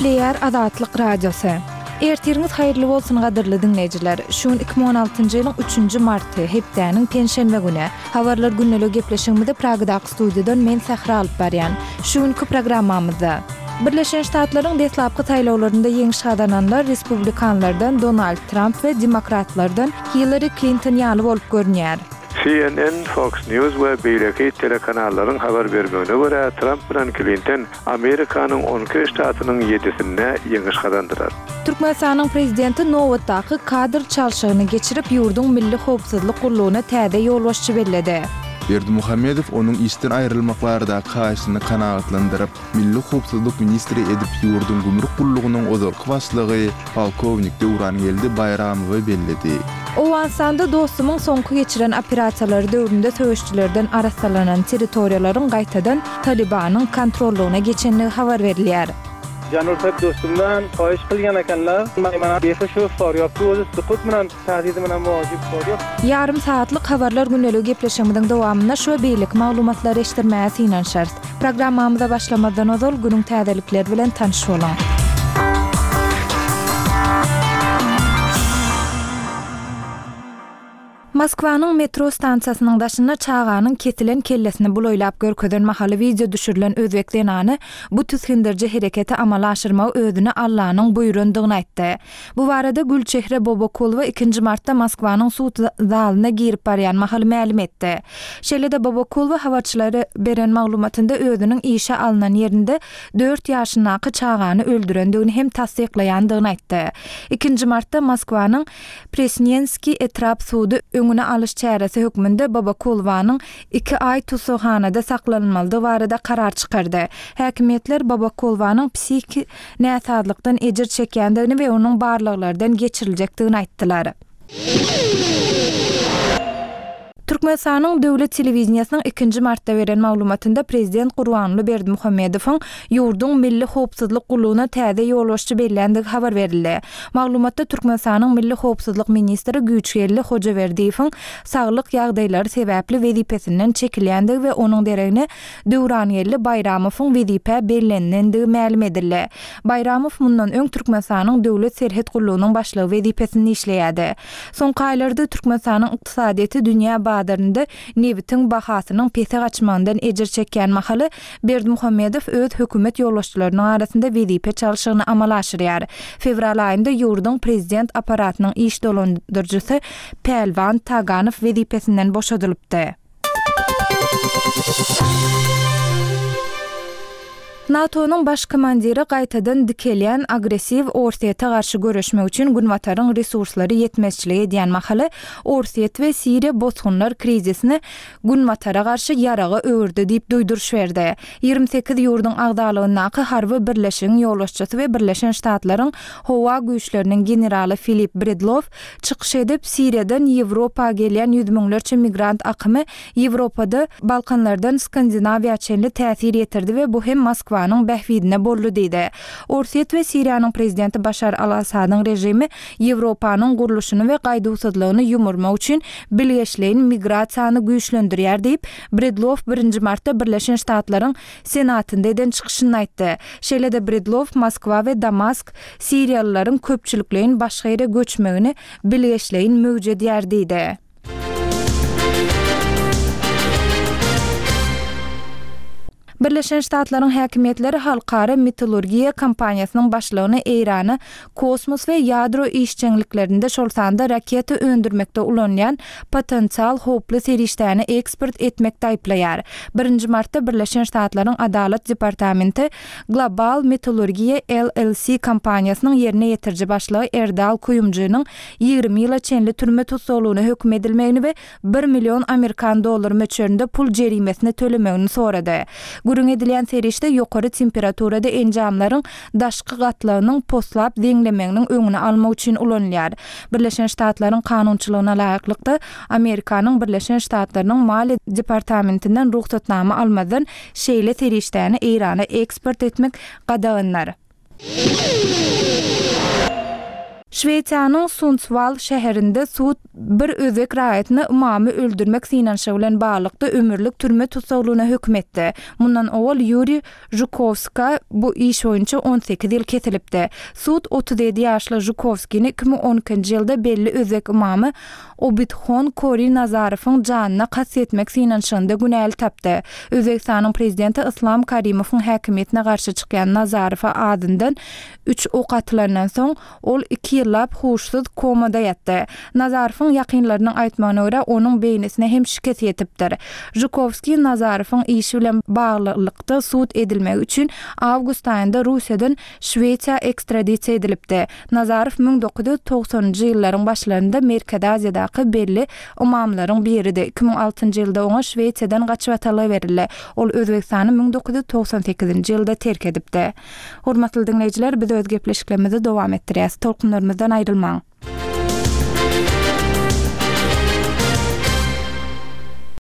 Gepleýär Azatlyk Radiosy. Ertiriňiz haýyrly bolsun gadyrly diňleýjiler. Şu gün 2016-njy ýylyň üçünji marty, hepdäniň penşenbe güni. Habarlar gündeligi gepleşigimizi Pragadaky studiýadan men Sähra alyp barýan. Şu günki programmamyzda. Birleşen Ştatlaryň deslapky saýlawlarynda ýeňiş gazananlar respublikanlardan Donald Tramp we demokratlardan Hillari Klinton ýaly bolup görünýär. CNN, Fox News we beýleki telekanallaryň habar bermegine görä, Tramp bilen Klinton Amerikanyň 12 ştatynyň ýedisinde ýeňiş gazandylar. Türkmenistanyň Prezidenti nobatdaky kadr çalşygyny geçirip, ýurduň Milli howpsuzlyk gullugyna täze ýolbaşçy belledi. Berdimuhamedow onuň işden aýrylmak baradaky haýyşyny kanagatlandyryp, Milli howpsuzlyk ministri edip ýurduň gümrük gullugynyň ozalky başlygy polkownik Döwrangeldi Baýramowy belledi. Owganystanda Dostumyň soňky geçiren operasiýalary döwründe söweşçilerden arassalanan territoriýalaryň gaýtadan Talybanyň kontrollygyna geçendigi habar berilýär. Janursak dostumdan haýyş kylgan ekenler. Maýmana behi şu Farýabda özi sukut bilen tahdidi bilen wajyp Farýab. Ýarym sagatlyk Habarlar gündeligi gepleşigimiziň dowamynda şu we beýleki maglumatlary eşitdirmäge synanyşarys. Programmamyza başlamazdan ozal günüň täzelikleri bilen tanyş boluň. Moskwanyň metro stansiýasynyň daşynda çaganyň kesilen kellesini bulaýlap görkezen mahaly wideo düşürilen özbek zenany bu tisgindiriji hereketi amala aşyrmagy özüne Allanyň buýrandygyny aýtdy. Bu barada Gülçehre Bobokulowa ikinji martda Moskwanyň sud zalyna girip barýan mahaly mälim etdi. Şeýle-de Bobokulowa habarçylara beren maglumatynda özüniň işe alnan ýerinde dört ýaşyndaky çagany öldürendigini hem tassyklaýandygyny aýtdy. Ikinji martda Moskwanyň Presnenskiý etrap sudy öňüni alyş çäresi hökmünde Bobokulowanyň iki aý tussaghanada saklanylmalydygy barada karar çykardy. Häkimiýetler Bobokulowanyň psihiki näsazlykdan ejir çekýändigini we onuň barlaglardan geçiriljekdigini aýtdylar. Türkmenistanyň döwlet telewideniýesiniň ikinji martda beren maglumatynda prezident Gurbanguly Berdimuhamedowyň ýurduň Milli howpsuzlyk gullugyna täze ýolbaşçy belländigi habar berildi. Maglumatda Türkmenistanyň Milli howpsuzlyk ministri Güýçgeldi Hojaberdiýewiň saglyk ýagdaýlary sebäpli wezipesinden çekilýändigi we onuň deregine Döwrangeldi Baýramowyň wezipä bellenilendigi mälim edildi. Baýramow mundan öň Türkmenistanyň Döwlet serhet gullugynyň başlygy wezipesinde işleýärdi. Soňky aýlarda Türkmenistanyň ykdysadyýeti dünýä bazarynda nebitiň bahasynyň pese gaçmagyndan ejir çekýän mahaly, Berdimuhamedow öz hökümet ýolbaşçylarynyň arasynda wezipe çalşygyny amala aşyrýar. Fewral aýynda ýurduň prezident apparatynyň iş dolandyryjysy Pälwan Taganow wezipesinden boşadylypdy. NATO-nyň baş komandiri gaýtadan dikelýän agressiw Orsýete garşy göreşmek üçin Günbataryň resurslary ýetmezçilik edýän mahaly, Orsýet we Siriýa bosgunlar krizisini Günbatara garşy ýaraga öwürdi diýip duýduryş berdi. 28 ýurduň agzalygyndaky harby birleşigiň ýolbaşçysy we Birleşen Ştatlaryň howa güýçleriniň generaly Filip Bredlow Çykyş edip, Siriýadan Ýewropa gelýän ýüz müňlerçe migrant akymy Ýewropada Balkanlardan Skandinawiýa çenli täsir ýetirdi we bu hem Moskwanyň bähbidine boldy diýdi. Orsýet we Siriýanyň prezidenti Başar al-Assadyň režimi Ýewropanyň gurluşyny we gaýduwsyzlygyny ýumurmak üçin bilgeşleýin migrasiýany güýçlendirýär diýip, Bredlow birinji martda Birleşen Ştatlaryň Senatynda eden çykyşynda aýtdy. Şeýle-de Bredlow Moskwa we Damask siriýalylaryň köpçülikleýin başga ýere göçmegini bilgeşleýin möwjedýär diýdi. Birleşen Ştatlaryň häkimiýetleri halkara metallurgiýa kompaniýasynyň başlygyny Eýrana kosmos we ýadro işjeňliklerinde, şol sanda raketa öndürmekde ulanylýan potensial howply serişdäni eksport etmekde aýyplaýar. Birinji martda Birleşen Ştatlaryň Adalat departamenti Global Metallurgiýa LLC kompaniýasynyň ýerine ýetiriji başlygy Erdal Kuýumjynyň 20 ýyla çenli türme tussaglygyna höküm edilmegini we bir million amerikan dollary möçberinde pul jerimesini tölemegini sorady. Gürrüň edilýän serişde ýokary temperaturada enjamlaryň daşky gatlagynyň poslap zeňlemeginiň öňüni almak üçin ulanylýar. Birleşen Ştatlaryň kanunçylygyna laýyklykda, Amerikanyň Birleşen Ştatlarynyň Maliýe departamentinden rugsatnama almazdan şeýle serişdäni Eýrana eksport etmek gadagandyr. Şwesiýanyň Sundswall şäherinde sud bir özbek raýatyny ymamy öldürmek synanyşygy bilen baglylykda ömürlik türme tussaglygyna höküm etdi. Mundan owal Ýuriý Žukowskä bu iş boýunça 18 ýyl kesilipdi. Sud 37 ýaşly Žukowskini 2012-nji ýylda belli özbek ymamy Obidhon Kori Nazarowyň janyna kast etmek synanyşygynda günäli tapdy. Özbegistanyň prezidenti Yslam Karimowyň häkimiýetine garşy çykýan Nazarowa azyndan Üç ok atylandan soň, ol iki ýyllap huşsuz komada ýatdy. Nazarowyň ýakynlarynyň aýtmagyna görä, onuň beýnisine hem şikes ýetipdir. Žukowskiý Nazarowyň işi bilen baglylykda sud edilmegi üçin awgust aýynda Russiýadan Şwesiýa ekstradisiýa edilipdi. Nazarow 1990-njy ýyllaryň başlarynda Merkezi Aziýadaky belli ymamlaryň biridi. 2006-njy ýylda oňa Şwesiýadan gaçybatalga berildi. Ol Özbegistany 1998-nji ýylda terk edipdi. Hormatly diňleýjiler, biz öz gepleşiklerimizi dowam etdirýäs. Tolkunlarymyzdan aýrylmaň!